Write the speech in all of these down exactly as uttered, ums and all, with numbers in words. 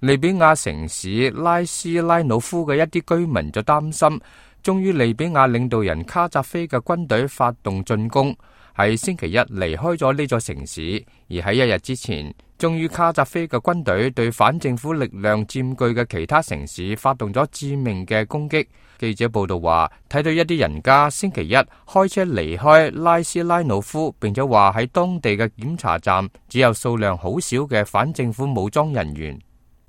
利比亞城市拉斯拉努夫嘅一啲居民就擔心，終於利比亞領導人卡扎菲嘅軍隊發動進攻，喺星期一離開咗呢座城市，而喺一日之前，終於卡扎菲嘅軍隊對反政府力量佔據嘅其他城市發動咗致命嘅攻擊。記者報道話，睇到一啲人家星期一開車離開拉斯拉努夫，並且話喺當地嘅檢查站只有數量好少嘅反政府武裝人員。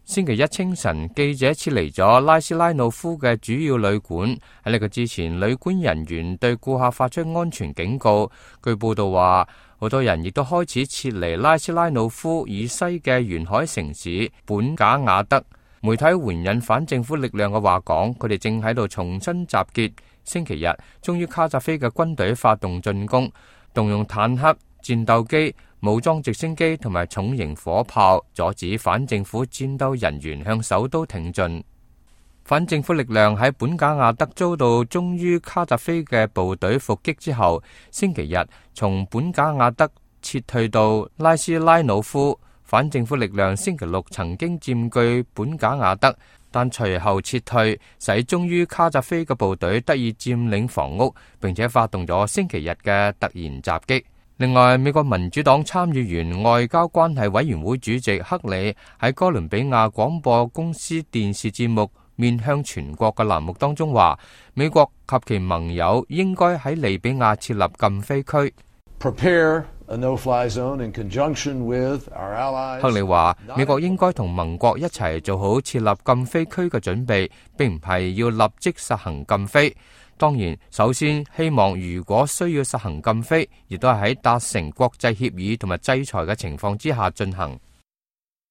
星期一清晨，記者撤離咗拉斯拉努夫嘅主要旅館。喺呢個之前，旅館人員對顧客發出安全警告。據報道話，好多人亦都開始撤離拉斯拉努夫以西嘅沿海城市本賈亞德。媒體援引反政府力量嘅話講，佢哋正喺度重新集結。星期日，終於卡扎菲嘅軍隊發動進攻，動用坦克、戰鬥機、武裝直升機同埋重型火炮，阻止反政府戰鬥人員向首都挺進。反政府力量喺本賈亞德遭到忠於卡扎菲嘅部隊伏擊之後，星期日從本賈亞德撤退到拉斯拉努夫。反政府力量星期六曾經佔據本賈亞德，但隨後撤退，使忠於卡扎菲嘅部隊得以佔領房屋，並且發動咗星期日嘅突然襲擊。另外，美國民主黨參議員外交關係委員會主席克里喺哥倫比亞廣播公司電視節目面向全國嘅欄目當中話，美國及其盟友應該喺利比亞設立禁飛區。Prepare a no-fly zone in conjunction with our allies. 克里話，美國應該同盟國一齊做好設立禁飛區嘅準備，並唔係要立即實行禁飛。當然，首先希望如果需要實行禁飛，亦都係喺達成國際協議同埋制裁嘅情況之下進行。